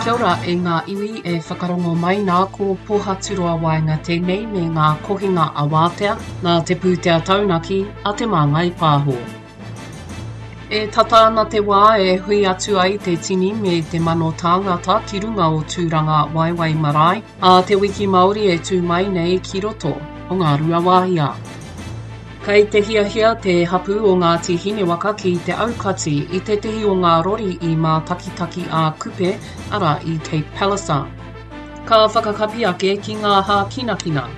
Kia ora e ngā iwi e whakarongo mai nā ko Pohaturoa Waenga tēnei me ngā kohinga awātea nā te pūtea taunaki a Te Māngai Pāho. E tata ana te wā e hui atu ai te tini me te mano tāngata ki runga o Tūranga Waewae Marae ā te wiki Māori e tū mai nei ki roto o Ngāruawāhia. Kei te hiahia te hapū o Ngāti Hinewaka ki te aukati i tētehi o ngā rori i Mātakitaki a Kupe, arā i Cape Palliser. Ka whakakapi ake ki ngā hākinakina.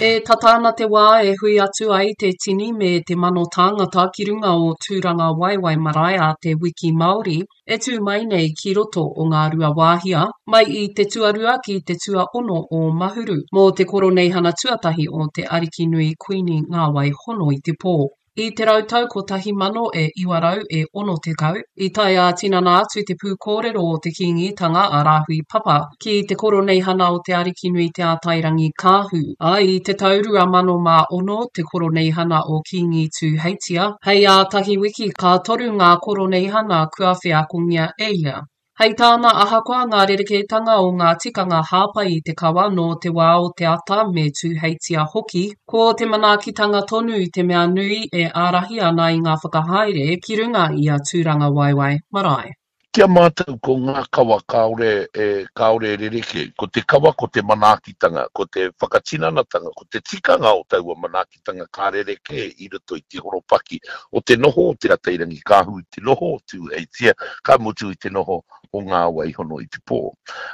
E tata ana te wā e hui atu ai te tini me te mano tāngata ki runga o Tūrangawaewae Marae a te Wiki Māori e tū mai nei ki roto o Ngāruawāhia, mai i te tuarua ki te tuaono o Mahuru, mō te Koroneihana tuatahi o te Arikinui Kuini Ngāwai Hono i te Pō. I te rautau 1000 e 900 e 60, i tae ā-tinana atu te pūkōrero o te Kīngitanga a Rāhui Papa ki te Koroneihana o Te Arikinui Te Ātairangikaahu, ā, i te tau 2006 te Koroneihana o Kīngi Tūheitia, hei ā tahi wiki ka toru ngā Koroneihana kua wheakongia e ia. Hei tāna, ahakoa ngā rerekētanga o ngā tikanga hāpai i te kawa nō te wā o te ata me Tūheitia hoki, ko te manaakitanga tonu te mea nui e ārahi ana i ngā whakahaere ki runga i a Tūrangawaewae Marae. Ki a mātou ko ngā kawa kāore e, kāore e rerekē. Ko te kawa ko te manaakitanga, ko te whakatinanatanga, ko te tikanga o taua manaakitanga ka rerekē i roto i te horopaki o te noho o Te Atairangikaahu i te noho o Tūheitia, ka mutu i te noho o Ngā Waihono i te pō.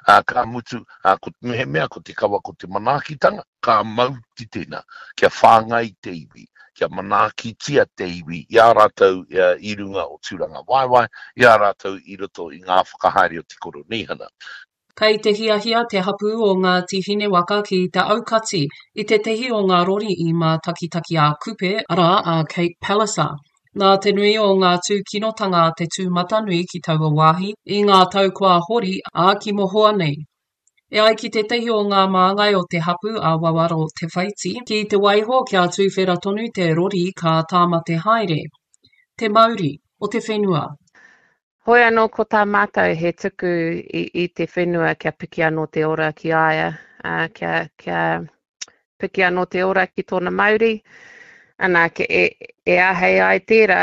Ā, ka mutu, ā, ko, mehemea ko te kawa ko te manaakitanga, ka mau ki tēnā, kia whāngai te iwi, kia manaakitia te iwi i a rātou i runga o Tūrangawaewae, i a rātou i roto i ngā whakahaere o te Koroneihana. Kei te hiahia te hapū o Ngāti Hinewaka ki te aukati i tētehi o ngā rori i Mātakitaki-ā-Kupe, arā, a Cape Palliser. Nā te nui o ngā tūkinotanga a te tūmatanui ki taua wāhi i ngā tau kua hori, ā, ki mohoa nei. E ai ki tētehi o ngā māngai o te hapū a Wawaro Te Whaiti, ki te waiho kia tuwhera tonu te rori ka tāmate haere te mauri o te whenua. Hoi anō ko tā mātou he tuku i, i te whenua kia piki anō te ora ki a ia, ā, kia, kia piki anō te ora ki tōna mauri. Ana, ke, e, e āhei ai tērā,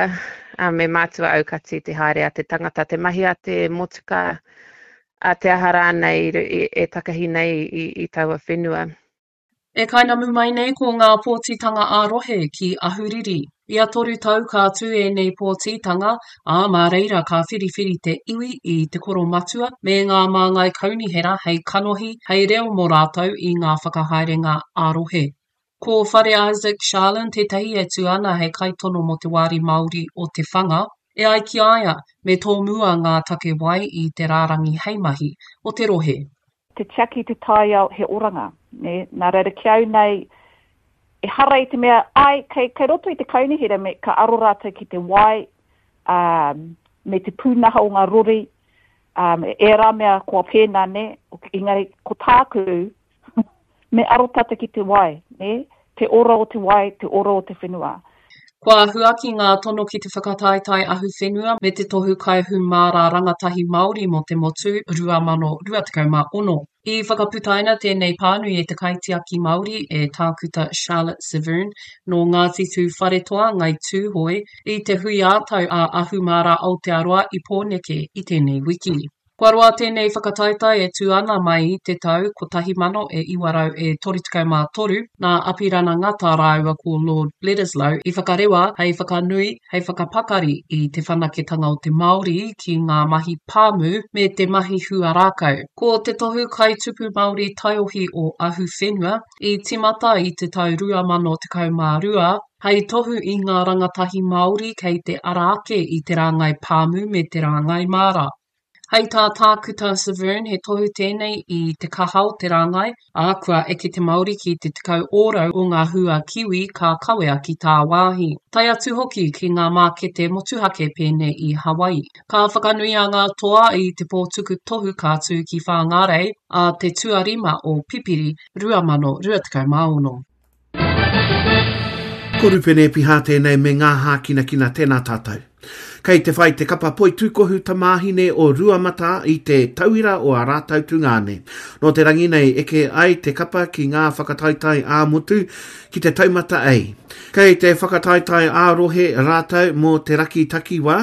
ā, me mātua aukati te haere a te tangata, te mahi a te motuka, a te aha rānei i, e takahi nei i, i taua whenua. E kainamu mai nei ko ngā pōtitanga ā-rohe ki Ahuriri. Ia toru tau ka tū ēnei pōtitanga, ā, mā reira ka whiriwhiri te iwi i te koromatua me ngā māngai kaunihera hei kanohi, hei reo mō rātou i ngā whakahaerenga ā-rohe. Ko Whare Isaac Sharlin tētahi e tū ana hei kaitono mō te Wāri Māori o Te Whanga. E ai ki a ia, me tōmua ngā take wai i te rārangi heimahi o te rohe. Te tiaki te taiao he oranga, nē. Nā reira ki au nei, ehara i te mea, āe, kei, kei roto i te kaunihera me, ka aro rātou ki te wai, ā, me te pūnaha o ngā rori, ā, ērā mea kua pēnā, nē, engari ko tāku, Me aro tata ki te wai, nē? Te ora o te wai, te ora o te whenua. Kua huaki ngā tono ki te whakataetae ahuwhenua me te Tohu Kaihūmāra Rangatahi Māori mō te Motu 2026. I whakaputaina tēnei pānui e te Kaitiaki Māori, e Tākuta Charlotte Severne, nō Ngāti Tūwharetoa, Ngai Tūhoe, i te hui ā-tau a Ahumāra Aotearoa i Pōneke i tēnei wiki. Kua roa tēnei whakataetae e tū ana mai i te tau 1933, nā Apirana Ngata rāua ko Lord Bledisloe i whakarewa hei whakanui, hei whakapakari i te whanaketanga o te Māori ki ngā mahi pāmu me te mahi huarākau. Ko te tohu kaitupu Māori taiohi o Ahuwhenua i tīmata i te tau 2012, hei tohu i ngā rangatahi Māori kei te ara ake i te rāngai pāmu me te rāngai māra. Hei tā Tākuta Severne he tohu tēnei i te kaha o te rāngai, ā, kua eke te Māori ki te 10 ōrau o ngā hua kiwi ka kawea ki tāwāhi, tae atu hoki ki ngā mākete motuhake pēnei i Hawaii. Ka whakanuia ngā toa i te pō tuku tohu ka tū ki Whāngārei ā te tuarima o Pipiri 2026. Ko Rupene Epiha tēnei me ngā hākinakina tēnā tātou. Kei te whai te kapa poitūkohu tamāhine o Ruamatā i te tauira o ā rātou tungāne. Nō te rangi nei eke ai te kapa ki ngā whakataetae ā-motu ki te taumata A. Kei te whakataetae ā-rohe rātou mō te raki takiwā,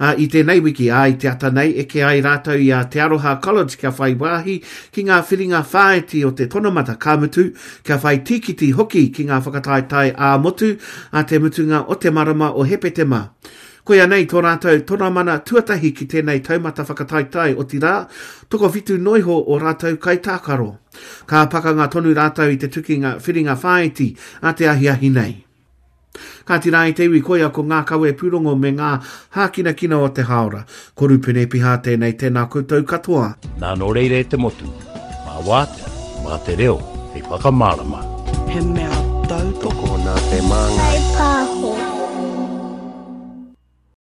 ā, i tēnei wiki, ā, i te ata nei eke ai rātou i a Te Aroha College kia whai wāhi ki ngā whiringa whāiti o te tonamata, ka mutu, kia whai tīkiti hoki ki ngā whakataetae ā-motu ā te mutunga o te marama o Hepetema. Koia nei tō rātou tonamana tuatahi ki tēnei taumata whakataetae, otirā, tokowhitu noiho o rātou kaitākaro. Ka pakanga tonu rātou i te tukinga whiringa whāiti a te ahiahi nei. Kāti rā i te iwi koia ko ngā kawe pūrongo me ngā hākinakina o te hāora. Ko Rupene Piha tēnei, tēnā koutou katoa. Nā nō reira e te motu, mā wātea, mā te reo hei whakamārama. He mea tautoko nā te māngai. Pāho.